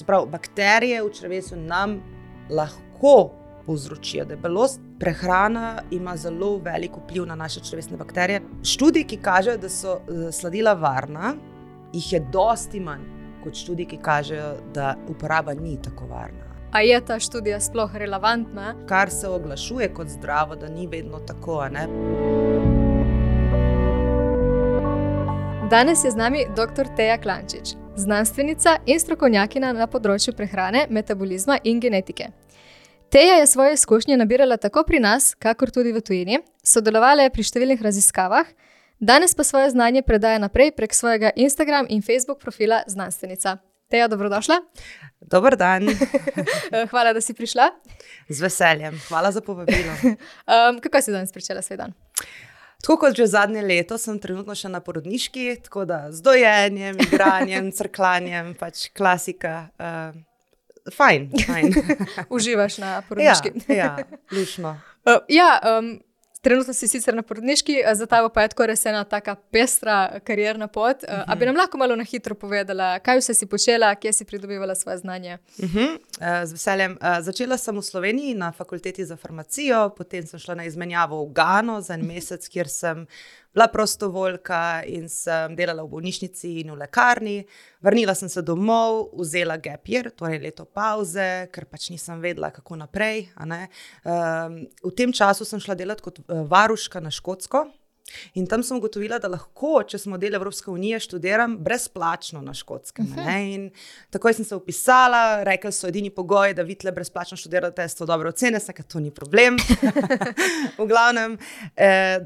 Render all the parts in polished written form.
Se pravi, bakterije v črevesju nam lahko povzročijo debelost. Prehrana ima zelo velik vpliv na naše črevesne bakterije. Študiji, ki kažejo, da so sladila varna, jih je dosti manj kot študiji, ki kažejo, da uporaba ni tako varna. A je ta študija sploh relevantna? Kar se oglašuje kot zdravo, da ni vedno tako, a ne? Danes je z nami dr. Teja Klančič, znanstvenica in strokovnjakinja na področju prehrane, metabolizma in genetike. Teja je svoje izkušnje nabirala tako pri nas, kakor tudi v tujini, sodelovala je pri številnih raziskavah, danes pa svoje znanje predaja naprej prek svojega Instagram in Facebook profila znanstvenica. Teja, dobrodošla. Dober dan. Hvala, da si prišla. Z veseljem. Hvala za povabilo. Kako si danes pričela svoj dan? Tako kot že zadnje leto, sem trenutno še na porodniški, tako da z dojenjem, igranjem, crklanjem, pač klasika. Fajn. Uživaš na porodniški? Ja, lušno. Trenutno si sicer na porodniški, za tabo pa je tako res ena taka pestra karierna pot. A bi nam lahko malo na hitro povedala, kaj vse si počela, kje si pridobivala svoje znanje? Z veseljem. Začela sem v Sloveniji na fakulteti za farmacijo, potem sem šla na izmenjavo v Gano za en mesec, kjer sem bila prostovoljka in sem delala v bolnišnici in v lekarni. Vrnila sem se domov, vzela gap year, torej leto pauze, ker pač nisem vedela, kako naprej. V tem času sem šla delati kot varuška na Škotsko in tam sem ugotovila, da lahko, če smo del Evropske unije, študiram brezplačno na Škotskem. In takoj sem se vpisala, rekli so, edini pogoj, da vi tle brezplačno študirate, so dobre ocene, ker to ni problem. V glavnem,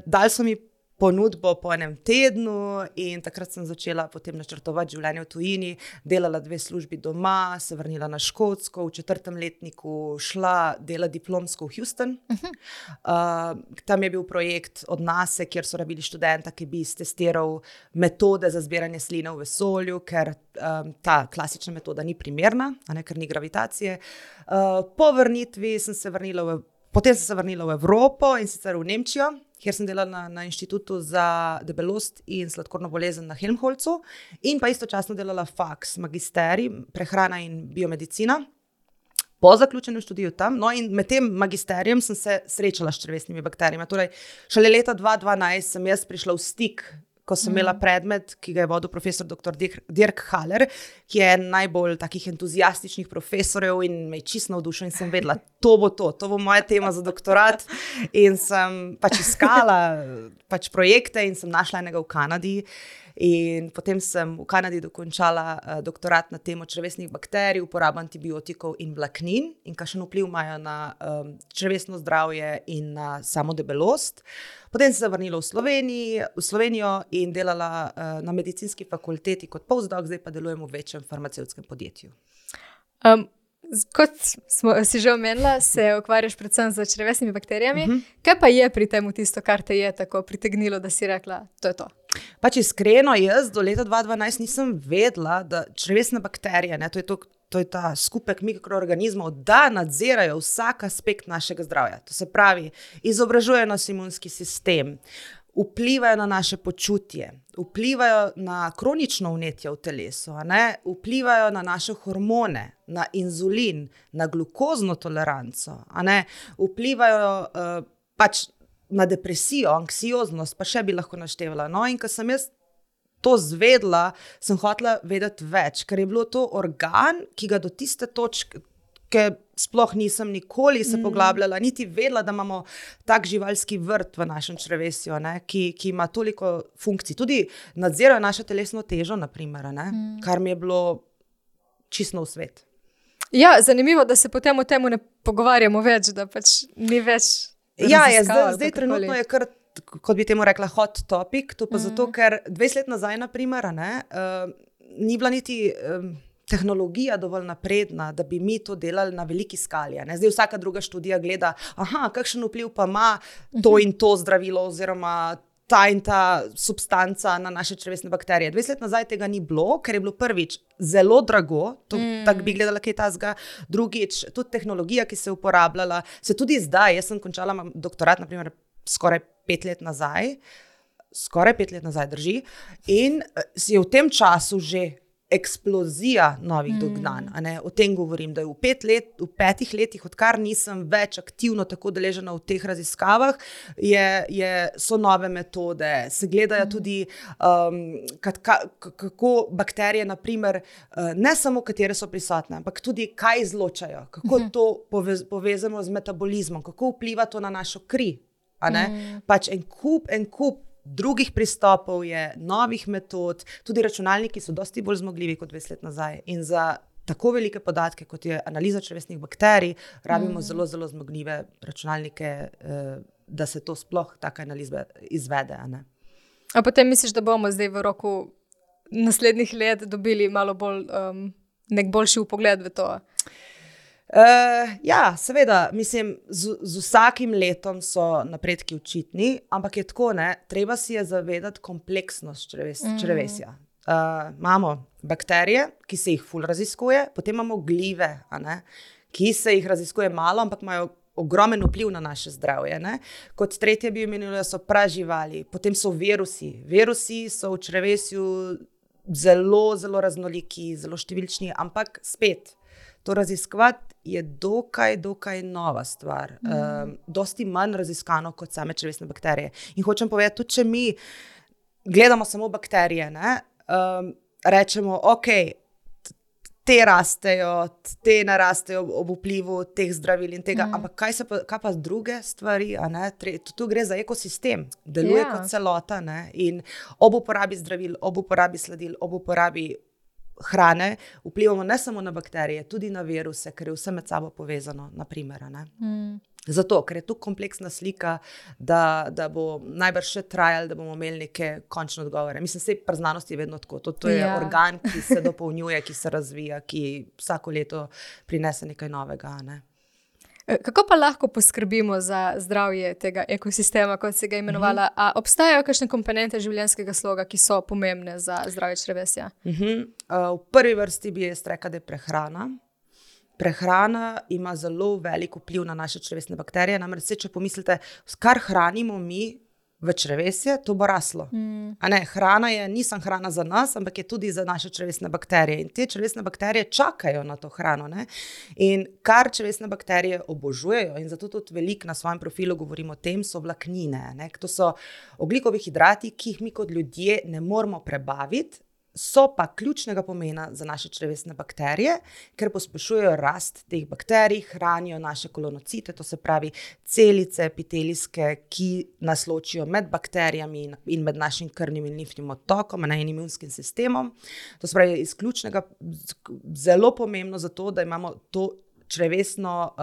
dali so mi ponudbo po enem tednu in takrat sem začela potem načrtovati življenje v tujini, delala 2 službi doma, se vrnila na Škotsko, v 4. letniku šla delati diplomsko v Houston. Tam je bil projekt od NASA, kjer so rabili študenta, ki bi testiral metode za zbiranje sline v vesolju, ker ta klasična metoda ni primerna, ker ni gravitacije. Po vrnitvi sem se vrnila Potem sem se vrnila v Evropo in sicer v Nemčijo, kjer sem delala na inštitutu za debelost in sladkorno bolezen na Helmholtzu in pa istočasno delala faks, magisterij, prehrana in biomedicina. Po zaključenem študiju tam, in med tem magisterijem sem se srečala s črevesnimi bakterijami. Torej, šele leta 2012 sem jaz prišla v stik, ko sem imela predmet, ki ga je vodil profesor dr. Dirk Haller, ki je najbolj takih entuzijastičnih profesorjev in me je čisto navdušil in sem vedela, to bo moja tema za doktorat. In sem pač iskala projekte in sem našla enega v Kanadi. In potem sem v Kanadi dokončala doktorat na temo črevesnih bakterij, uporabo antibiotikov in vlaknin in kakšen vpliv imajo na črevesno zdravje in na samo debelost. Potem sem se vrnila v Slovenijo in delala na medicinski fakulteti kot postdoc, zdaj pa delujem v večjem farmacevtskem podjetju. Kot si že omenila, se ukvarjaš predvsem z črevesnimi bakterijami. Kaj pa je pri tem tisto, kar te je tako pritegnilo, da si rekla, to je to? Pač iskreno, jaz do leta 2012 nisem vedela, da črevesne bakterije, to je ta skupek mikroorganizmov, da nadzirajo vsak aspekt našega zdravja. To se pravi, izobražujejo nas imunski sistem, vplivajo na naše počutje, vplivajo na kronično vnetje v telesu, vplivajo na naše hormone, na inzulin, na glukozno toleranco, vplivajo na depresijo, anksioznost, pa še bi lahko naštevala. In ko sem jaz to zvedla, sem hotela vedeti več, ker je bilo to organ, ki ga do tiste točke, sploh nisem nikoli se poglabljala, niti vedela, da imamo tak živalski vrt v našem črevesju, ki ima toliko funkcij. Tudi nadzirajo našo telesno težo, naprimer, kar mi je bilo čisto v svet. Ja, zanimivo, da se potem o tem ne pogovarjamo več, da pač ni več raziskav. Zdaj trenutno je kar, kot bi temu rekla, hot topic, to pa zato, ker 20 let nazaj, naprimer, ni bila niti tehnologija dovolj napredna, da bi mi to delali na veliki skali. Zdaj vsaka druga študija gleda, kakšen vpliv pa ima to in to zdravilo oziroma ta in ta substanca na naše črevesne bakterije. 20 let nazaj tega ni bilo, ker je bilo prvič zelo drago, tako bi gledala kaj tazga, drugič, tudi tehnologija, ki se je uporabljala, se tudi zdaj, jaz sem končala doktorat, naprimer, skoraj 5 let nazaj drži, in je v tem času že eksplozija novih dognanj. O tem govorim, da je v 5 letih, odkar nisem več aktivno tako deležena v teh raziskavah, so nove metode, se gledajo tudi, kako bakterije, naprimer, ne samo katere so prisotne, ampak tudi kaj izločajo, kako to povezamo z metabolizmom, kako vpliva to na našo kri. Pač en kup drugih pristopov je, novih metod, tudi računalniki so dosti bolj zmogljivi kot 20 let nazaj. In za tako velike podatke, kot je analiza črevesnih bakterij, rabimo zelo, zelo zmogljive računalnike, da se to sploh taka analiza izvede. A potem misliš, da bomo zdaj v roku naslednjih let dobili malo bolj nek boljši vpogled v to? Ja, seveda, mislim, z vsakim letom so napredki očitni, ampak je tako, treba si je zavedati kompleksnost črevesja. Imamo bakterije, ki se jih ful raziskuje, potem imamo glive, ki se jih raziskuje malo, ampak imajo ogromen vpliv na naše zdravje. Kot tretje bi omenili, so praživali, potem so virusi. Virusi so v črevesju zelo, zelo raznoliki, zelo številčni, ampak spet, to raziskovati je dokaj nova stvar. Dosti manj raziskano kot same črevesne bakterije. In hočem povedati, tudi če mi gledamo samo bakterije, rečemo, ok, te rastejo, te narastejo ob vplivu teh zdravil in tega, ampak kaj pa druge stvari? Tu gre za ekosistem, deluje kot celota, in ob uporabi zdravil, ob uporabi sladil, ob uporabi hrane, vplivamo ne samo na bakterije, tudi na viruse, ker je vse med sabo povezano, naprimer. Zato, ker je tu kompleksna slika, da bo najbrž še trajalo, da bomo imeli neke končne odgovore. Mislim, sej pri znanosti je vedno tako. To je organ, ki se dopolnjuje, ki se razvija, ki vsako leto prinese nekaj novega. Kako pa lahko poskrbimo za zdravje tega ekosistema, kot si ga imenovala? A obstajajo kakšne komponente življenjskega sloga, ki so pomembne za zdravje črevesja? V prvi vrsti bi jaz rekla, da je prehrana. Prehrana ima zelo velik vpliv na naše črevesne bakterije. Namreč, če pomislite, kar hranimo mi v črevesje, to bo raslo. Hrana ni samo hrana za nas, ampak je tudi za naše črevesne bakterije. In te črevesne bakterije čakajo na to hrano. In kar črevesne bakterije obožujejo, in zato tudi veliko na svojem profilu govorim o tem, so vlaknine. To so ogljikovi hidrati, ki jih mi kot ljudje ne moremo prebaviti, so pa ključnega pomena za naše črevesne bakterije, ker pospešujejo rast teh bakterij, hranijo naše kolonocite, to se pravi celice epitelijske, ki nas ločijo med bakterijami in med našim krvnim in limfnim odtokom in imunskim sistemom. To se pravi iz ključnega, zelo pomembno zato, da imamo to črevesno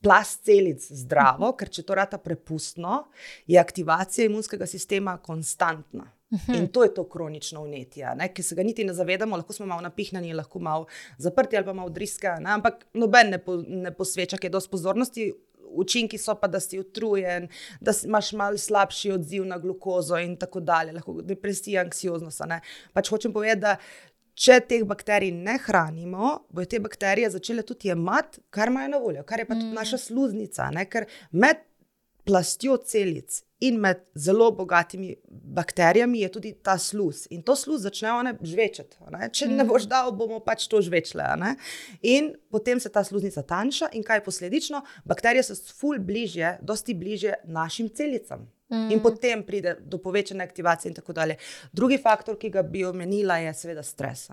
plast celic zdravo, ker če to rata prepustno, je aktivacija imunskega sistema konstantna. In to je to kronično vnetje, ki se ga niti ne zavedamo, lahko smo malo napihnjeni, lahko malo zaprti ali pa malo driske, ampak noben ne posveča kaj dosti pozornosti. Učinki so pa, da si utrujen, da imaš malo slabši odziv na glukozo in tako dalje, lahko depresija, anksioznost. Pač hočem povedati, da če teh bakterij ne hranimo, bojo te bakterije začele tudi jemati, kar imajo na voljo, kar je pa tudi naša sluznica, ker med plastjo celic in med zelo bogatimi bakterijami je tudi ta sluz. In to sluz začnejo žvečeti. Če ne boš dal, bomo pač to žvečile. In potem se ta sluznica tanjša in kaj posledično? Bakterije so ful bližje, dosti bližje našim celicam. In potem pride do povečane aktivacije in tako dalje. Drugi faktor, ki ga bi omenila, je seveda stres.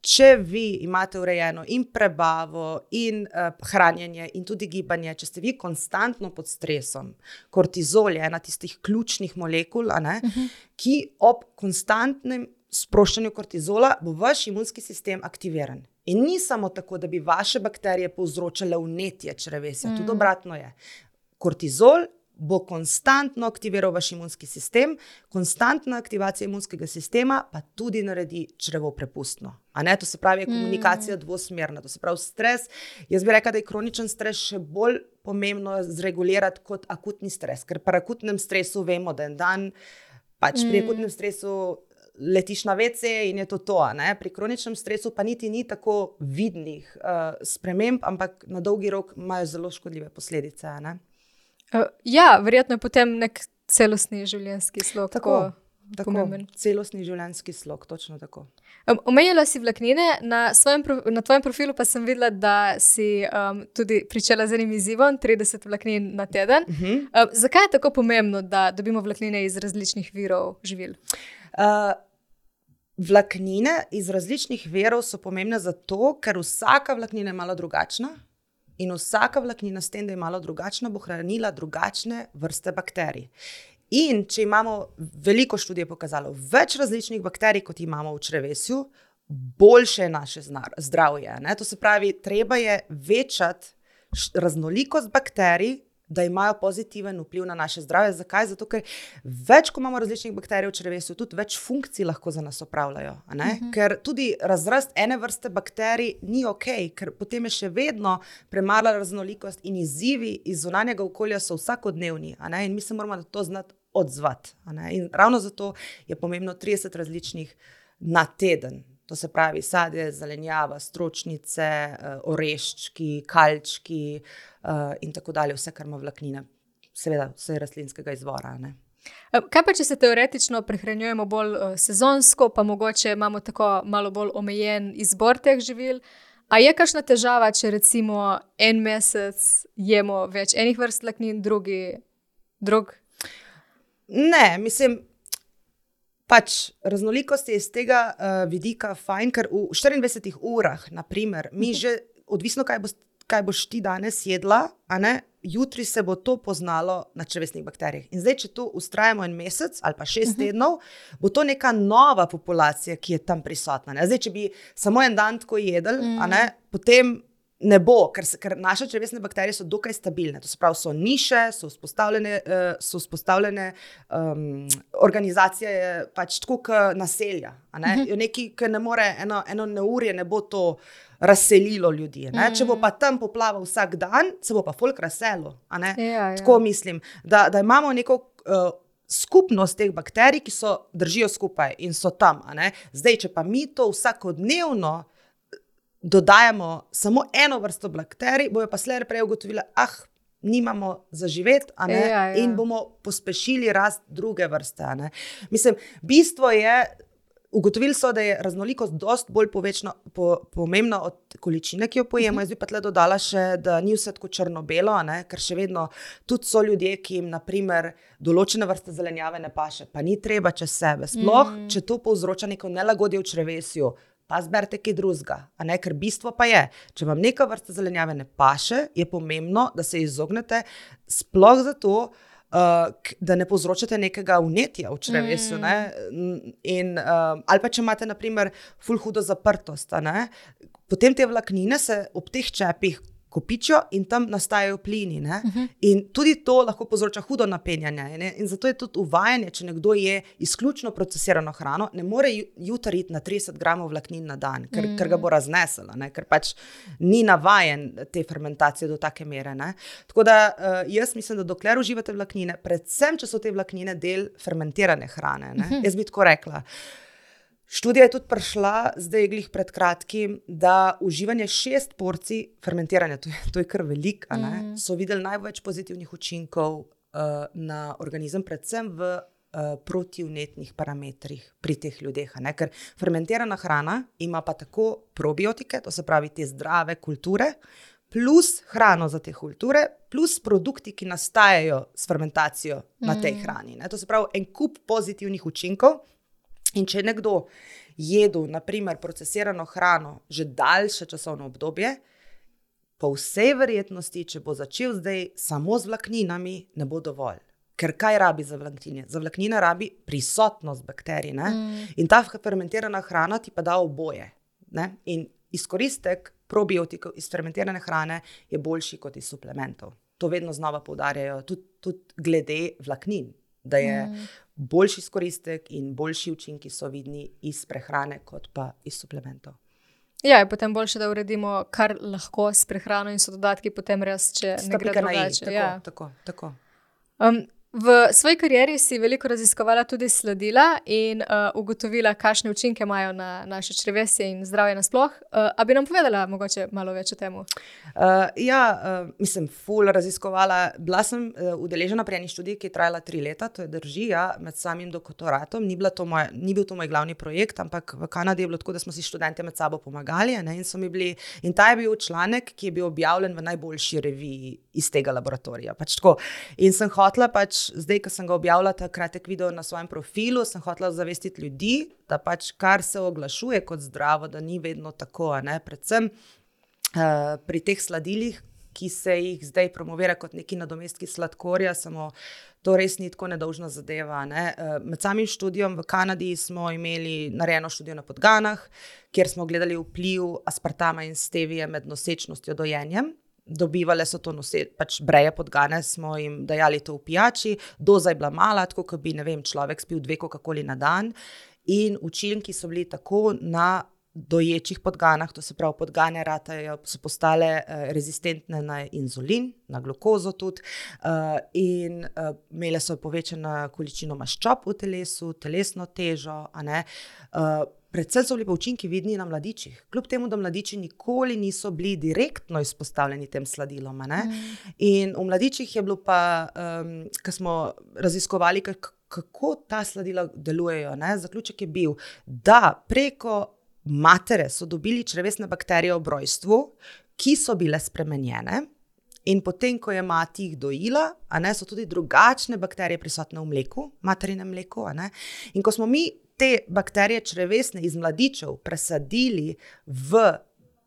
Če vi imate urejeno in prebavo in hranjenje in tudi gibanje, če ste vi konstantno pod stresom, kortizol je ena tistih ključnih molekul, ki ob konstantnem sproščanju kortizola bo vaš imunski sistem aktiviran. In ni samo tako, da bi vaše bakterije povzročale vnetje črevesja, tudi obratno je. Kortizol bo konstantno aktiviral vaš imunski sistem, konstantna aktivacija imunskega sistema pa tudi naredi črevo prepustno. To se pravi, je komunikacija dvosmerna, to se pravi stres. Jaz bi rekla, da je kroničen stres še bolj pomembno zregulirati kot akutni stres, ker pri akutnem stresu vemo, da en dan, pač pri akutnem stresu letiš na WC in je to. Pri kroničnem stresu pa niti ni tako vidnih sprememb, ampak na dolgi rok imajo zelo škodljive posledice. Ja, verjetno je potem nek celostni življenjski slog. Tako. pomemben. Celostni življenjski slog, točno tako. Omenjala si vlaknine, na tvojem profilu pa sem videla, da si tudi pričela z enim izzivom, 30 vlaknin na teden. Zakaj je tako pomembno, da dobimo vlaknine iz različnih virov živil? Vlaknine iz različnih virov so pomembne zato, ker vsaka vlaknina je malo drugačna in vsaka vlaknina s tem, da je malo drugačna, bo hranila drugačne vrste bakterij. In če imamo, veliko študij pokazalo, več različnih bakterij, kot imamo v črevesju, boljše je naše zdravje. Ne? To se pravi, treba je večati raznolikost bakterij, da imajo pozitiven vpliv na naše zdravje. Zakaj? Zato, ker več, ko imamo različnih bakterij v črevesju, tudi več funkcij lahko za nas opravljajo. Ker tudi razrast ene vrste bakterij ni ok, ker potem je še vedno premala raznolikost in izzivi iz zunanjega okolja so vsakodnevni. In mi se moramo na to znati odzvati. In ravno zato je pomembno 30 različnih na teden. To se pravi sadje, zelenjava, stročnice, oreščki, kalčki in tako dalje, vse, kar ima vlaknine. Seveda, vse rastlinskega izvora. Kaj pa, če se teoretično prehranjujemo bolj sezonsko, pa mogoče imamo tako malo bolj omejen izbor teh živil? A je kakšna težava, če recimo en mesec jemo več enih vrst vlaknin, drug? Ne, mislim, raznolikost je iz tega vidika fajn, ker v 24 urah, naprimer, mi že, odvisno kaj boš ti danes jedla, jutri se bo to poznalo na črevesnih bakterijah. In zdaj, če to ustrajamo en mesec ali pa 6 tednov, bo to neka nova populacija, ki je tam prisotna. Zdaj, če bi samo en dan tako jedli, potem ne bo, ker naše črevesne bakterije so dokaj stabilne. To se pravi, so niše, so vzpostavljene organizacije je pač tako kot naselja. Nekaj, ki ne more, eno neurje ne bo to razselilo ljudi. Če bo pa tam poplava vsak dan, se bo pa folk razselil. Tako mislim, da imamo neko skupnost teh bakterij, ki držijo skupaj in so tam. Zdaj, če pa mi to vsakodnevno dodajamo samo eno vrsto bakterij, bojo pa slej prej ugotovile, nimamo za živeti, in bomo pospešili rast druge vrste. Mislim, bistvo je, ugotovili so, da je raznolikost dosti bolj pomembna od količine, ki jo pojemo. Jaz bi pa tle dodala še, da ni vse tako črno-belo, ker še vedno tudi so ljudje, ki jim naprimer določene vrste zelenjave ne paše, pa ni treba čez sebe. Sploh, če to povzroča neko nelagodje v črevesju, pa zberite kaj drugega, ker bistvo pa je, če vam neka vrsta zelenjave ne paše, je pomembno, da se izognete, sploh zato, da ne povzročate nekega vnetja v črevesju. Ali pa če imate naprimer ful hudo zaprtost, potem te vlaknine se ob teh čepih kopičijo in tam nastajajo plini. In tudi to lahko povzroča hudo napenjanje. In zato je tudi uvajanje, če nekdo je izključno procesirano hrano, ne more jutri iti na 30 gramov vlaknin na dan, ker ga bo raznesel, ker pač ni navajen te fermentacije do take mere. Tako da jaz mislim, da dokler uživate vlaknine, predvsem, če so te vlaknine del fermentirane hrane. Jaz bi tako rekla. Študija je tudi prišla, zdaj glih pred kratkim, da uživanje 6 porcij fermentiranja, to je kar veliko, so videli največ pozitivnih učinkov na organizem, predvsem v protivnetnih parametrih pri teh ljudeh. Ker fermentirana hrana ima pa tako probiotike, to se pravi te zdrave kulture, plus hrano za te kulture, plus produkti, ki nastajajo s fermentacijo na tej hrani. To se pravi en kup pozitivnih učinkov. In če je nekdo jedel, naprimer, procesirano hrano že daljše časovno obdobje, po vsej verjetnosti, če bo začel zdaj samo z vlakninami, ne bo dovolj. Ker kaj rabi za vlaknine? Za vlaknine rabi prisotnost bakterij. In ta fermentirana hrana ti pa da oboje. In izkoristek probiotikov iz fermentirane hrane je boljši kot iz suplementov. To vedno znova poudarjajo, tudi glede vlaknin, da je boljši izkoristek in boljši učinki so vidni iz prehrane, kot pa iz suplementov. Ja, je potem boljše, da uredimo, kar lahko s prehrano in so dodatki potem res, če ne gre drugače. Tako. V svoji karieri si veliko raziskovala tudi sladila in ugotovila, kakšne učinke imajo na naše črevesje in zdravje nasploh. A bi nam povedala mogoče malo več o tem? Mislim, ful raziskovala. Bila sem udeležena pri eni študiji, ki je trajala 3 leta, to je drži, med samim doktoratom. Ni bil to moj glavni projekt, ampak v Kanadi je bilo tako, da smo si študente med sabo pomagali, ne, in ta je bil članek, ki je bil objavljen v najboljši reviji iz tega laboratorija. Pač tako. In sem hotela zdaj, ko sem ga objavila ta kratek video na svojem profilu, sem hotela zavestiti ljudi, da pač kar se oglašuje kot zdravo, da ni vedno tako, ne? Predvsem pri teh sladilih, ki se jih zdaj promovira kot neki nadomestki sladkorja, samo to res ni tako nedolžna zadeva, ne? Med samim študijom v Kanadi smo imeli narejeno študijo na podganah, kjer smo gledali vpliv aspartama in stevije med nosečnostjo dojenjem. Dobivale so to pač breje podgane, smo jim dajali to v pijači, doza je bila mala, tako kot bi, ne vem, človek spil 2 Coca-Coli na dan in učinki so bili tako na doječih podganah, to se pravi, podgane so postale rezistentne na inzulin, na glukozo tudi in imele so povečano količino maščob v telesu, telesno težo, a ne. Predvsem so bili pa učinki vidni na mladičih. Kljub temu, da mladiči nikoli niso bili direktno izpostavljeni tem sladilom. Ne? In v mladičih je bilo pa, ko smo raziskovali, kako ta sladila delujejo, ne? Zaključek je bil, da preko matere so dobili črevesne bakterije ob rojstvu, ki so bile spremenjene. In potem, ko je mati jih dojila, a ne, so tudi drugačne bakterije prisotne v mleku, materinem mleku. A ne? In ko smo mi te bakterije črevesne iz mladičev presadili v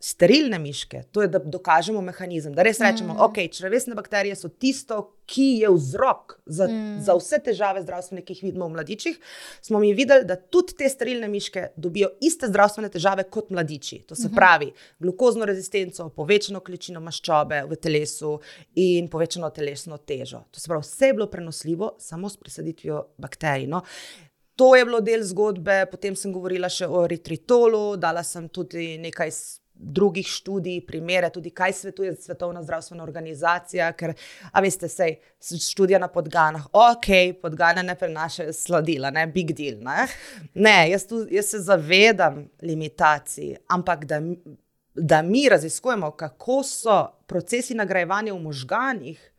sterilne miške, to je, da dokažemo mehanizem, da res rečemo, ok, črevesne bakterije so tisto, ki je vzrok za vse težave zdravstvene, ki jih vidimo v mladičih, smo mi videli, da tudi te sterilne miške dobijo iste zdravstvene težave kot mladiči. To se pravi, glukozno rezistenco, povečano količino maščobe v telesu in povečano telesno težo. To se pravi, vse je bilo prenosljivo samo s presaditvijo bakterij. No. To je bilo del zgodbe, potem sem govorila še o eritritolu, dala sem tudi nekaj drugih študij, primere, tudi kaj svetuje Svetovna zdravstvena organizacija, ker, a veste, sej, študija na podganah, ok, podgane ne prenašajo sladila, ne, big deal, ne. Ne, jaz se zavedam limitacij, ampak da mi raziskujemo, kako so procesi nagrajevanja v možganih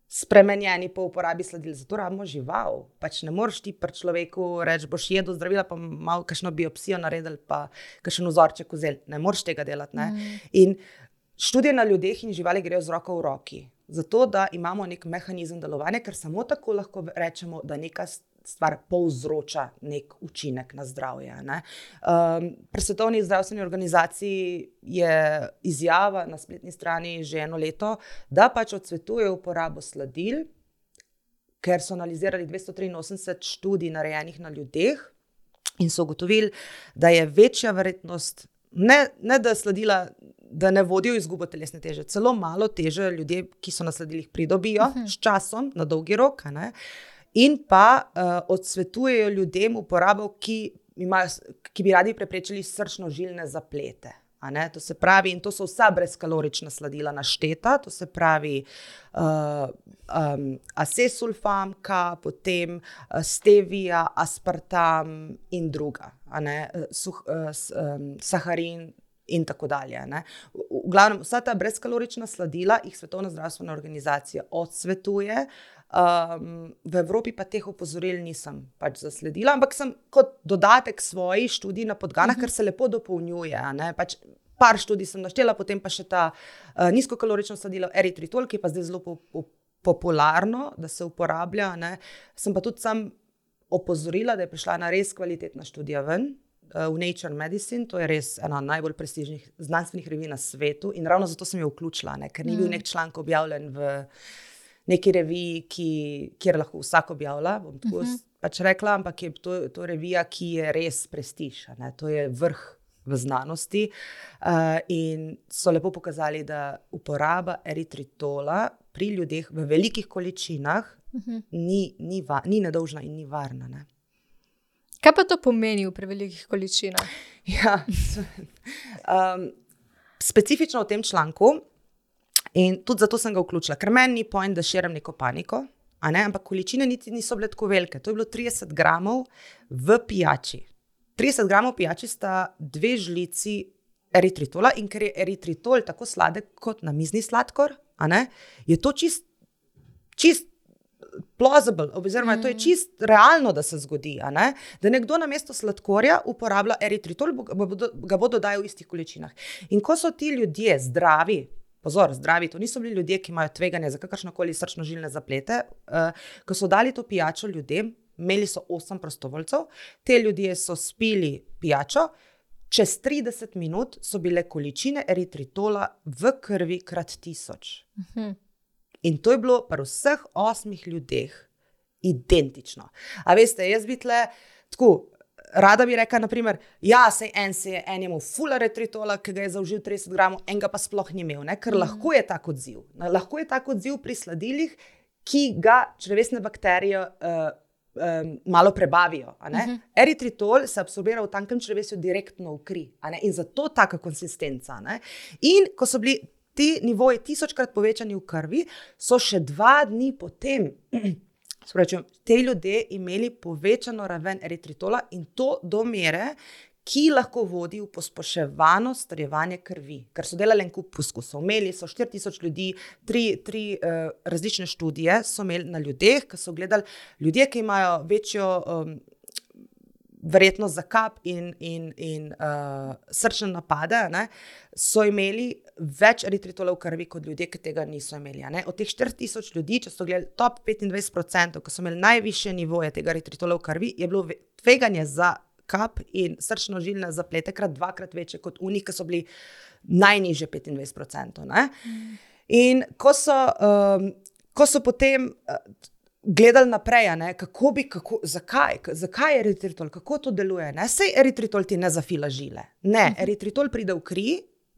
spremenjeni po uporabi sladil, zato rabimo žival. Pač ne moreš ti pri človeku reči, boš jedel zdravila, pa malo kakšno biopsijo naredili, pa kakšen vzorček vzeli. Ne moreš tega delati. Ne? In študije na ljudeh in živali grejo z roko v roki. Zato, da imamo nek mehanizem delovanja, ker samo tako lahko rečemo, da neka stvar povzroča nek učinek na zdravje. Ne? Pri Svetovni zdravstveni organizaciji je izjava na spletni strani že 1 leto, da pač odsvetujejo uporabo sladil, ker so analizirali 283 študij narejenih na ljudeh in so ugotovili, da je večja verjetnost, ne da sladila, da ne vodijo izgubo telesne teže, celo malo teže ljudje, ki so na sladilih pridobijo s časom, na dolgi rok, ne? In pa odsvetujejo ljudem uporabo, ki bi radi preprečili srčno-žilne zaplete. A ne? To se pravi, in to so vsa brezkalorična sladila našteta, to se pravi acesulfamka, potem stevia, aspartam in druga, a ne? Saharin in tako dalje. Ne? V glavnem, vsa ta brezkalorična sladila jih Svetovna zdravstvena organizacija odsvetuje. V Evropi pa teh opozoril nisem pač zasledila, ampak sem kot dodatek svoji študiji na podganah, ker se lepo dopolnjuje. Ne? Pač par študij sem naštela, potem pa še ta nizkokalorično sladilo eritritol, ki je pa zdaj zelo popularno, da se uporablja. Ne? Sem pa tudi sam opozorila, da je prišla ena res kvalitetna študija ven, v Nature Medicine, to je res ena najbolj prestižnih znanstvenih revij na svetu in ravno zato sem jo vključila, ne? Ker ni bil nek članek objavljen v neki reviji, kjer lahko vsak objavlja, bom tako pač rekla, ampak je to revija, ki je res prestiž, ne? To je vrh v znanosti in so lepo pokazali, da uporaba eritritola pri ljudeh v velikih količinah ni nedolžna in ni varna. Ne? Kaj pa to pomeni v prevelikih količinah? Ja, specifično v tem članku, in tudi zato sem ga vključila, ker meni ni point, da širim neko paniko, ampak količine niti niso bile tako velike. To je bilo 30 gramov v pijači. 30 gramov pijači sta 2 žlici eritritola in ker je eritritol tako sladek kot namizni sladkor, je to čist plausible, oziroma to je čist realno, da se zgodi, da nekdo namesto sladkorja uporablja eritritol, ga bo dodajal v istih količinah. In ko so ti ljudje zdravi, to niso bili ljudje, ki imajo tveganje za kakršnokoli srčno-žilne zaplete, ko so dali to pijačo ljudem, imeli so 8 prostovoljcev, te ljudje so spili pijačo, čez 30 minut so bile količine eritritola v krvi krat 1000. In to je bilo pri vseh 8 ljudeh identično. A veste, jaz bi tle tako, rada bi rekla, naprimer, sej en je imel ful eritritola, ki ga je zaužil 30 gramov, en ga pa sploh ni imel, ker lahko je tak odziv. Lahko je tak odziv pri sladilih, ki ga črevesne bakterije malo prebavijo. Eritritol se absorbira v tankem črevesju direktno v kri. In zato taka konsistenca. In ko so bili ti nivoji 1000-krat povečani v krvi, so še 2 dni potem te ljudje imeli povečano raven eritritola in to do mere, ki lahko vodi v pospeševano starjevanje krvi. Ker so delali en kup poskusov. Imeli so 4000 ljudi, 3 različne študije so imeli na ljudeh, ki so gledali ljudje, ki imajo večjo verjetnost za kap in srčne napade, so imeli več eritritola v krvi kot ljudje, ki tega niso imeli. Od teh 4000 ljudi, če so gledali top 25%, ki so imeli najvišje nivoje tega eritritola v krvi, je bilo tveganje za kap in srčno-žilne zaplete krat 2-krat večje kot unih, ki so bili najnižje 25%. In ko so potem gledali naprej, zakaj je eritritol, kako to deluje. Sej eritritol ti ne zafila žile. Ne, eritritol pride v kri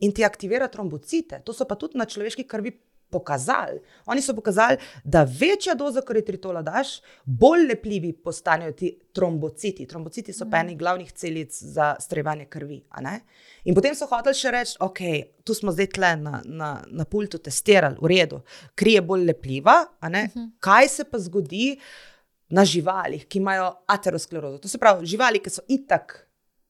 in ti aktivira trombocite. To so pa tudi na človeški krvi pokazali. Oni so pokazali, da večja doza eritritola daš, bolj lepljivi postanejo ti trombociti. Trombociti so pa eni glavnih celic za strjevanje krvi. In potem so hoteli še reči, tu smo zdaj tle na pultu testirali, v redu, kri je bolj lepljiva, kaj se pa zgodi na živalih, ki imajo aterosklerozo. To se pravi, živali, ki so itak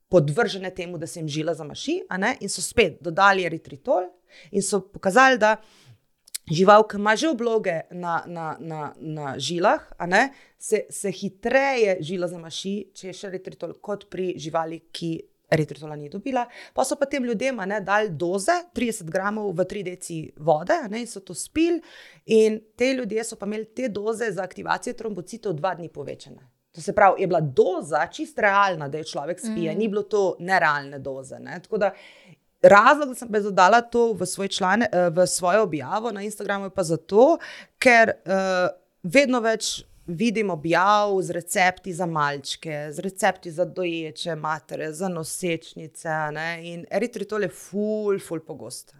podvržene temu, da se jim žila zamaši, in so spet dodali eritritol in so pokazali, da žival, ki ima že obloge na žilah, se hitreje žila zamaši, če je še eritritol, kot pri živali, ki eritritola ni dobila. Pa so pa tem ljudem dali doze, 30 gramov v 3 deci vode, in so to spili in te ljudje so pa imeli te doze za aktivacijo trombocitov 2 dni povečane. To se pravi, je bila doza čist realna, da je človek spije, ni bilo to nerealne doze. Tako da razlog, da sem pa dodala to v svojo objavo na Instagramu, je pa zato, ker vedno več vidim objav z recepti za malčke, z recepti za doječe matere, za nosečnice, in eritritol je ful pogost.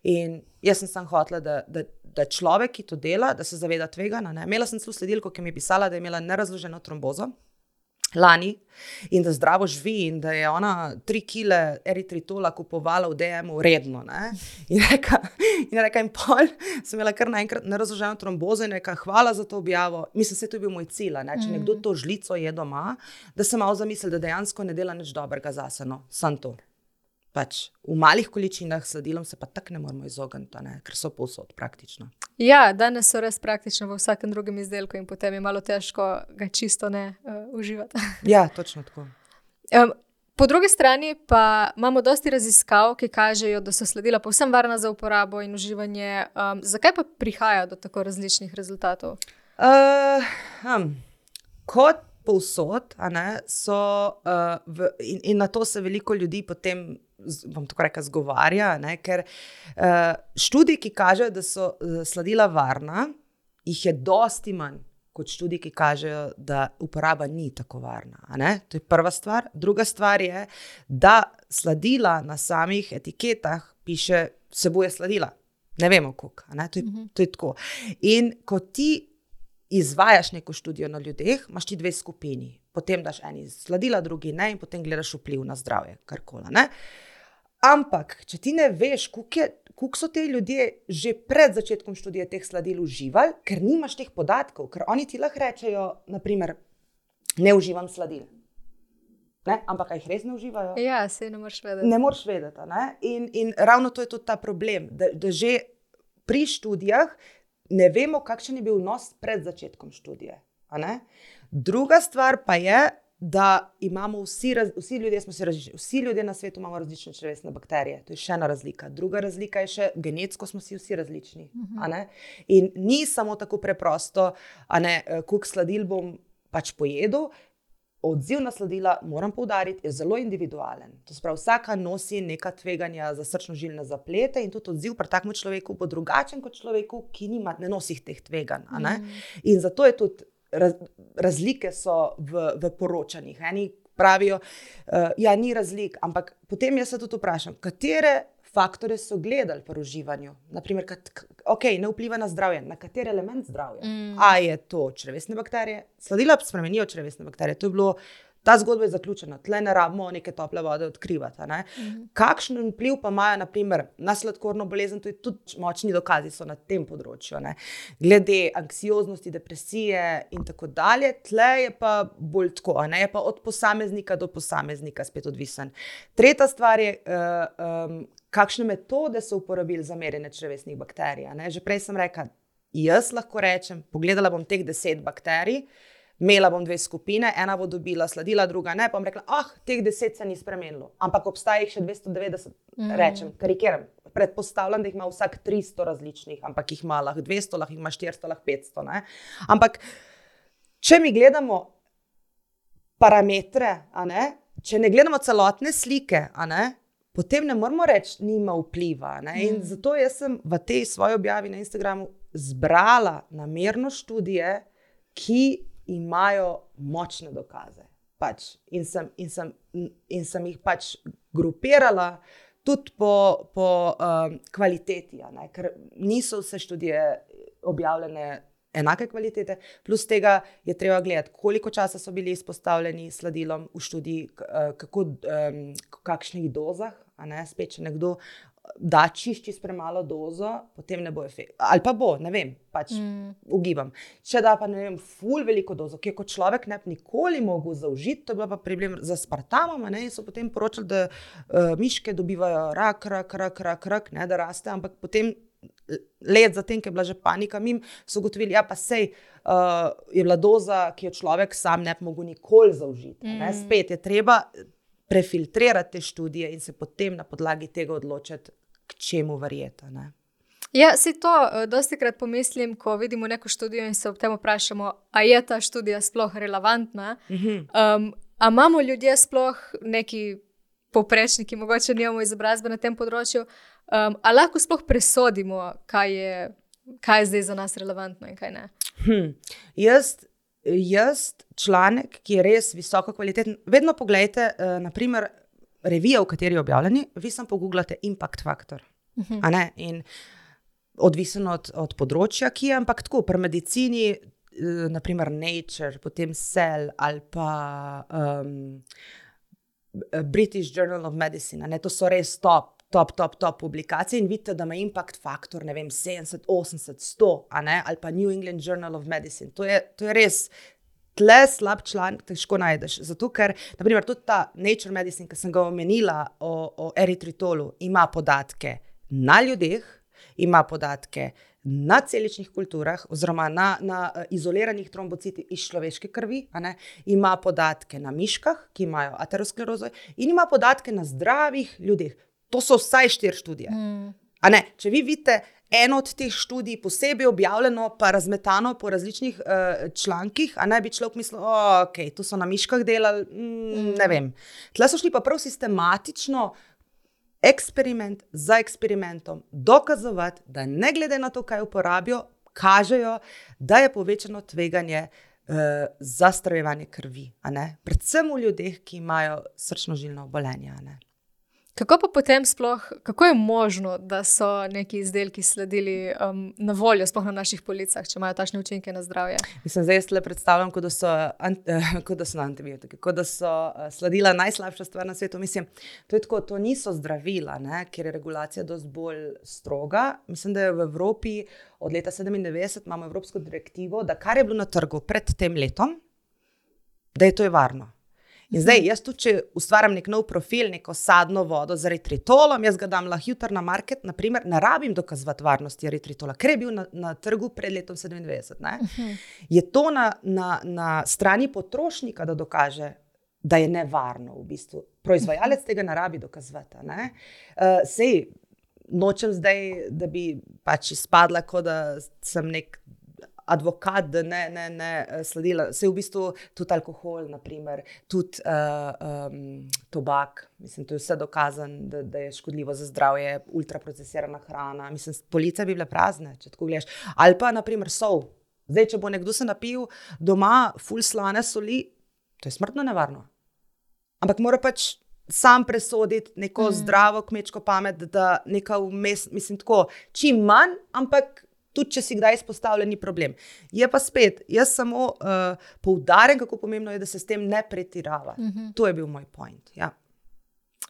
In jaz sem hotela, da človek, ki to dela, da se zaveda tveganja. Imela sem celo sledilko, ki mi je pisala, da je imela nerazloženo trombozo lani in da zdravo živi in da je ona 3 kile eritritola kupovala v DM-u redno. In reka, in pol sem imela kar naenkrat nerazloženo trombozo in reka, hvala za to objavo. Mislim, se to je bil moj cilj, če nekdo to žlico je doma, da se malo zamisli, da dejansko ne dela nič dobrega zase, samo to. V malih količinah sladilom se pa tako ne moramo izogniti, ker so povsod praktično. Ja, danes so res praktično v vsakem drugem izdelku in potem je malo težko ga čisto ne uživati. Ja, točno tako. Po drugi strani pa imamo dosti raziskav, ki kažejo, da so sladila povsem varna za uporabo in uživanje. Zakaj pa prihaja do tako različnih rezultatov? Kot povsod, so in na to se veliko ljudi potem, bom tako rekla, zgovarja, ker študij, ki kažejo, da so sladila varna, jih je dosti manj kot študij, ki kažejo, da uporaba ni tako varna. To je prva stvar. Druga stvar je, da sladila na samih etiketah piše, vsebuje sladila. Ne vemo koliko. To je tako. In ko ti izvajaš neko študijo na ljudeh, imaš ti 2 skupini. Potem daš eni sladila, drugi ne in potem gledaš vpliv na zdravje, karkoli. Ampak, če ti ne veš, koliko so te ljudje že pred začetkom študija teh sladil uživali, ker nimaš teh podatkov, ker oni ti lahko rečejo, naprimer, ne uživam sladil. Ne? Ampak jih res ne uživajo? Ja, se ne moreš vedeti. Ne moreš vedeti. Ne? In ravno to je tudi ta problem, da že pri študijah ne vemo, kakšen je bil vnos pred začetkom študije. Druga stvar pa je, da imamo vsi ljudje, vsi ljudje na svetu imamo različne črevesne bakterije. To je še ena razlika. Druga razlika je še, genetsko smo si vsi različni. In ni samo tako preprosto, koliko sladil bom pač pojedel. Odziv na sladila, moram poudariti, je zelo individualen. To se pravi, vsaka nosi neka tveganja za srčno-žilne zaplete in tudi odziv pri takem človeku bo drugačen kot človeku, ki ne nosi teh tveganj. In zato je tudi razlike so v poročanjih. Eni pravijo, ja, ni razlik, ampak potem jaz se tudi vprašam, katere faktore so gledali pri uživanju. Naprimer, ne vpliva na zdravje. Na kater element zdravja? A je to črevesne bakterije? Sladila spremenijo črevesne bakterije. Ta zgodba je zaključena. Tle ne rabimo neke tople vode odkrivati. Kakšen vpliv pa imajo, naprimer, na sladkorno bolezen, to je tudi močni dokazi so na tem področju. Glede anksioznosti, depresije in tako dalje, tle je pa bolj tako, je pa od posameznika do posameznika spet odvisen. Tretja stvar je, kakšne metode so uporabili za merjenje črevesnih bakterij. Že prej sem rekla, jaz lahko rečem, pogledala bom teh 10 bakterij, imela bom 2 skupine, ena bo dobila sladila, druga ne, pa bom rekla, teh 10 se ni spremenilo, ampak obstaja jih še 290, rečem, karikiram. Predpostavljam, da jih ima vsak 300 različnih, ampak jih ima lahko 200, lahko jih ima 400, lahko 500. Ampak, če mi gledamo parametre, če ne gledamo celotne slike, potem ne moramo reči, nima vpliva. In zato jaz sem v tej svoji objavi na Instagramu zbrala namerno študije, ki imajo močne dokaze. In sem jih pač grupirala tudi po kvaliteti, ker niso vse študije objavljene enake kvalitete, plus tega je treba gledati, koliko časa so bili izpostavljeni sladilom v študiji, kakšnih dozah, spet, če nekdo da čišči s premalo dozo, potem ne bo efekt. Ali pa bo, ne vem, pač ugibam. Če da pa, ne vem, ful veliko dozo, ki je kot človek ne bi nikoli mogel zaužiti, to je bila pa problem za aspartamom, in so potem poročali, da miške dobivajo rak, da raste, ampak potem let zatem, ki je bila že panika mim, so ugotovili, ja pa sej je bila doza, ki jo človek sam ne bi mogel nikoli zaužiti. Spet je treba prefiltrirati te študije in se potem na podlagi tega odločiti, k čemu verjeti. Ja, si to dostikrat pomislim, ko vidimo neko študijo in se ob tem vprašamo, a je ta študija sploh relevantna? A imamo ljudje sploh neki povprečniki, mogoče nimamo izobrazbe na tem področju, a lahko sploh presodimo, kaj je zdaj za nas relevantno in kaj ne? Jaz članek, ki je res visoko kvaliteten, vedno pogledajte, naprimer, revije, v kateri je objavljeni, vi samo pogooglate impact factor. In odvisen od področja, ki je, ampak tako, pri medicini, naprimer Nature, potem Cell ali pa British Journal of Medicine, to so res top publikacije in vidite, da ima impact faktor, ne vem, 70, 80, 100, ali pa New England Journal of Medicine. To je res tle slab članek, težko najdeš. Zato, ker, naprimer, tudi ta Nature Medicine, ki sem ga omenila o eritritolu, ima podatke na ljudeh, ima podatke na celičnih kulturah, oziroma na izoliranih trombocitih iz človeške krvi, ima podatke na miškah, ki imajo aterosklerozo, in ima podatke na zdravih ljudeh. To so vsaj 4 študije. Če vi vidite eno od teh študij posebej objavljeno, pa razmetano po različnih člankih, bi človek mislil, to so na miškah delali, ne vem. Tle so šli pa prav sistematično eksperiment za eksperimentom dokazovati, da ne glede na to, kaj uporabijo, kažejo, da je povečano tveganje za stravljevanje krvi. Predvsem v ljudeh, ki imajo srčno-žilna obolenja. Kako pa potem sploh, kako je možno, da so neki izdelki sledili na voljo, sploh na naših policah, če imajo takšne učinke na zdravje? Mislim, zdaj jaz le predstavljam, kot da so antibiotiki, kot da so sladila najslabša stvar na svetu. Mislim, to je tako, to niso zdravila, ne, ker je regulacija dosti bolj stroga. Mislim, da je v Evropi od leta 1997 imamo evropsko direktivo, da kar je bilo na trgu pred tem letom, da je to varno. In zdaj, jaz tudi, če ustvarjam nek nov profil, neko sadno vodo z eritritolom, jaz ga dam lahko jutri na market, naprimer, ne rabim dokazovati varnosti eritritola, ker je bil na trgu pred letom 1997. Ne? Je to na strani potrošnika, da dokaže, da je nevarno v bistvu. Proizvajalec tega ne rabi dokazovati. Sej, nočem zdaj, da bi pač izpadla, kot da sem nek advokat, da ne sledila. Se v bistvu tudi alkohol, naprimer, tudi tobak, mislim, to je vse dokazan, da je škodljivo za zdravje, ultraprocesirana hrana, mislim, police bi bile prazne, če tako gledaš. Ali pa, naprimer, sol. Zdaj, če bo nekdo se napil doma ful slane soli, to je smrtno nevarno. Ampak mora pač sam presoditi neko zdravo kmečko pamet, da neka vmes, mislim tako, čim manj, ampak tudi, če si kdaj izpostavljen, ni problem. Je pa spet, jaz samo poudarjam, kako pomembno je, da se s tem ne pretirava. To je bil moj point, ja.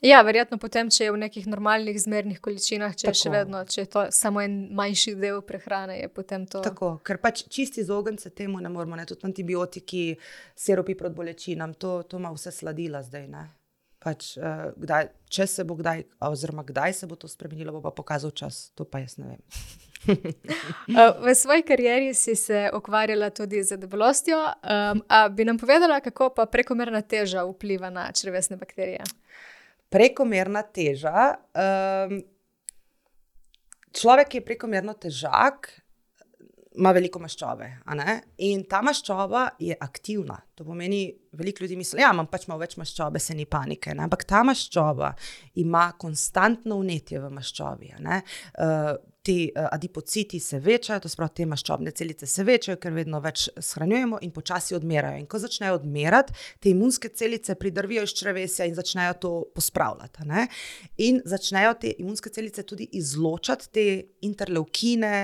Ja, verjetno potem, če je v nekih normalnih zmernih količinah, če je še vedno, če je to samo en manjši del prehrane, je potem to... Tako, ker pač čisti izogniti temu ne moramo, ne, tudi antibiotiki, sirupi proti bolečinam, to ima vse sladila zdaj, ne. Pač, če se bo kdaj, oziroma kdaj se bo to spremenilo, bo pa pokazal čas, to pa jaz ne vem. V svoji karieri si se ukvarjala tudi z debelostjo, a bi nam povedala, kako pa prekomerna teža vpliva na črevesne bakterije? Prekomerna teža, človek, ki je prekomerno težak, ima veliko maščobe, a ne? In ta maščoba je aktivna. To pomeni, veliko ljudi misli, ja, imam pač malo več maščobe, se ni panike, ne? Ampak ta maščoba ima konstantno vnetje v maščobi, a ne? Ti adipociti se večajo, to spravi, te maščobne celice se večajo, ker vedno več shranjujemo in počasi odmerajo. In ko začnejo odmerati, te imunske celice pridrvijo iz črevesja in začnejo to pospravljati, ne? In začnejo te imunske celice tudi izločati te interleukine,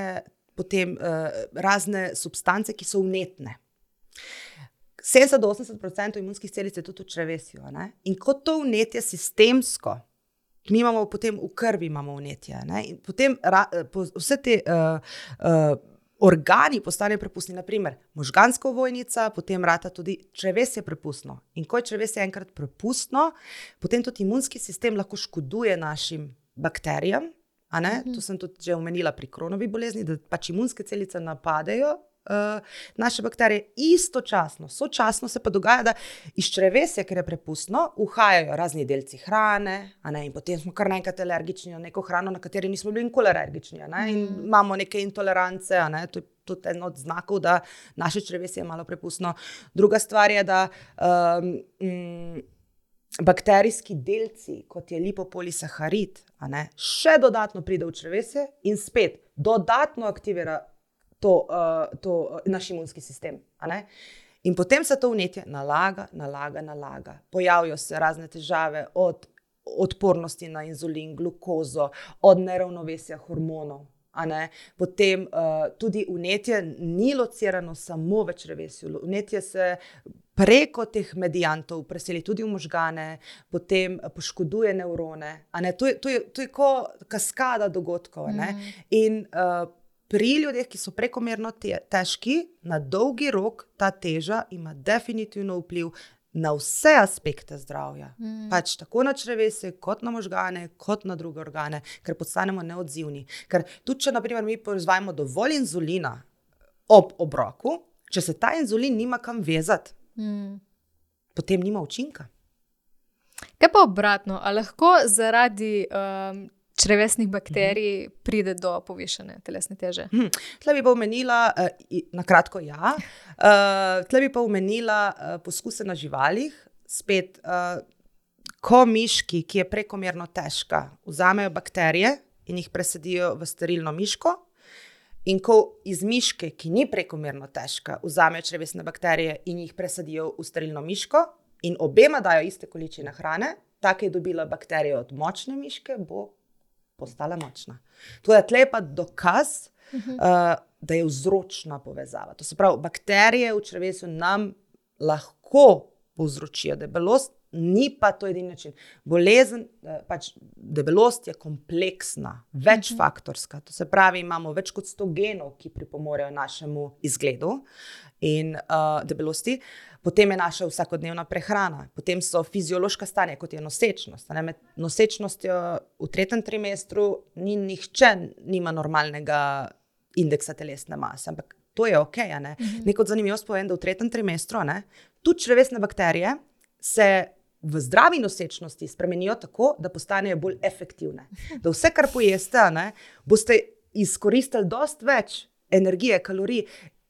potem razne substance, ki so vnetne. 70-80% imunskih celic je tudi v črevesju. Ne? In kot to vnetje sistemsko, mi imamo potem v krvi imamo vnetje. Ne? In potem vse te organi postanejo prepustni. Naprimer, možganska ovojnica, potem rata tudi črevesje prepustno. In ko je črevesje enkrat prepustno, potem tudi imunski sistem lahko škoduje našim bakterijam. A ne? To sem tudi že omenila pri Crohnovi bolezni, da pač imunske celice napadejo naše bakterije, sočasno se pa dogaja, da iz črevesja, ker je prepustno, uhajajo razni delci hrane, a ne? In potem smo kar naenkrat alergični na neko hrano, na kateri nismo bili nikoli alergični, a ne? In imamo neke intolerance, a ne? To je tudi en od znakov, da naše črevesje je malo prepustno. Druga stvar je, da bakterijski delci, kot je lipopolisaharid, a ne, še dodatno pride v črevesje in spet dodatno aktivira to naš imunski sistem. A ne? In potem se to vnetje nalaga. Pojavijo se razne težave od odpornosti na inzulin, glukozo, od neravnovesja hormonov. A ne? Potem tudi vnetje ni locirano samo v črevesju. Vnetje se preko teh mediantov preseli tudi v možgane, potem poškoduje nevrone. A ne? To je kot kaskada dogodkov. Ne? In pri ljudeh, ki so prekomerno težki, na dolgi rok ta teža ima definitivno vpliv na vse aspekte zdravja. Pač tako na črevesje, kot na možgane, kot na druge organe, ker postanemo neodzivni. Ker tudi, če naprimer mi proizvajamo dovolj inzulina ob obroku, če se ta inzulin nima kam vezati, potem nima učinka. Kaj pa obratno? A lahko zaradi črevesnih bakterij pride do povišane telesne teže? Tle bi pa omenila, na kratko ja, tle bi pa omenila poskuse na živalih. Spet, ko miški, ki je prekomerno težka, vzamejo bakterije in jih presadijo v sterilno miško, in ko iz miške, ki ni prekomerno težka, vzamejo črevesne bakterije in jih presadijo v sterilno miško in obema dajo iste količine hrane, ta, ki je dobila bakterijo od močne miške, bo postala močna. Tudi tle je pa dokaz, da je vzročna povezava. To se pravi, bakterije v črevesu nam lahko povzročijo debelost, ni pa to edini način. Bolezen, pač debelost je kompleksna, večfaktorska. To se pravi, imamo več kot 100 genov, ki pripomorejo našemu izgledu in debelosti. Potem je naša vsakodnevna prehrana, potem so fiziološka stanja, kot je nosečnost. Med nosečnostjo v 3. trimestru nihče nima normalnega indeksa telesne mase, ampak to je okej, a ne? Neko zanimivost povem, da v 3. trimestru, tudi črevesne bakterije se v zdravi nosečnosti spremenijo tako, da postanejo bolj efektivne. Da vse, kar pojeste, boste izkoristili dosti več energije, kalorij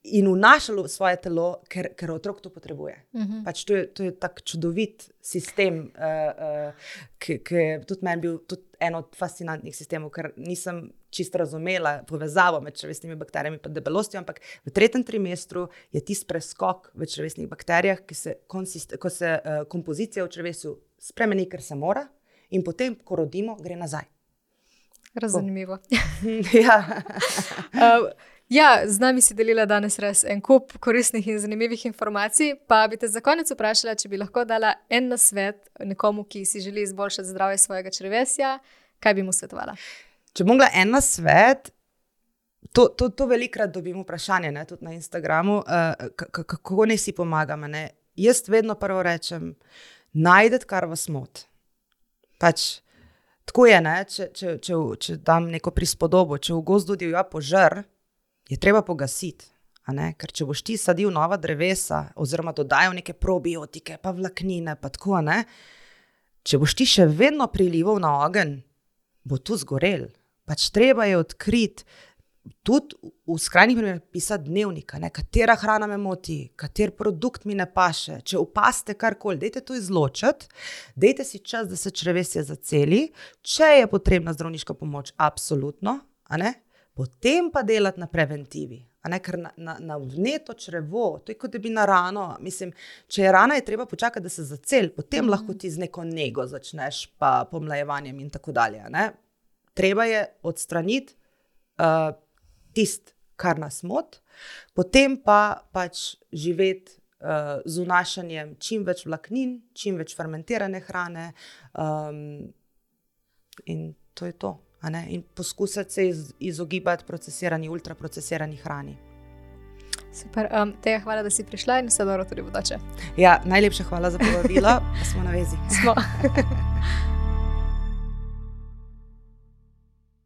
in vnašali v svoje telo, ker otrok to potrebuje. Pač to je tak čudovit sistem, ki je tudi meni bil tudi en od fascinantnih sistemov, ker nisem čisto razumela povezavo med črevesnimi bakterijami in debelostjo, ampak v 3. trimestru je tisti preskok v črevesnih bakterijah, ko se kompozicija v črevesu spremeni, ker se mora, in potem, ko rodimo, gre nazaj. Razumljivo. Ja. Ja, z nami si delila danes res en kup koristnih in zanimivih informacij, pa bi te za konec vprašala, če bi lahko dala en nasvet nekomu, ki si želi izboljšati zdravje svojega črevesja, kaj bi mu svetovala? Če bom mogla en nasvet, to velikokrat dobim vprašanje, tudi na Instagramu, kako naj si pomagam. Jaz vedno prvo rečem, najdete, kar vas moti. Pač, tako je, če dam neko prispodobo, če v gozdu divja požar, je treba pogasiti, ker če boš ti sadil nova drevesa oziroma dodajal neke probiotike, pa vlaknine, pa tako, če boš ti še vedno prilival na ogenj, bo tu zgorel. Pač treba je odkriti, tudi v skrajnih primerih pisati dnevnik, katera hrana me moti, kater produkt mi ne paše. Če opazite karkoli, dajte to izločiti, dajte si čas, da se črevesje zaceli, če je potrebna zdravniška pomoč, absolutno, potem pa delati na preventivi. Ker na vneto črevo, to je kot da bi na rano, mislim, če je rana, je treba počakati, da se zaceli, potem lahko ti z neko nego začneš, pa pomlajevanjem in tako dalje. Treba je odstraniti tisto, kar nas moti, potem pa pač živeti z vnašanjem čim več vlaknin, čim več fermentirane hrane, in to je to. In poskusiti se izogibati procesirani, ultraprocesirani hrani. Super, Teja, hvala, da si prišla in vse dobro tudi v bodoče. Ja, najlepša hvala za povabilo, smo na vezi. Smo.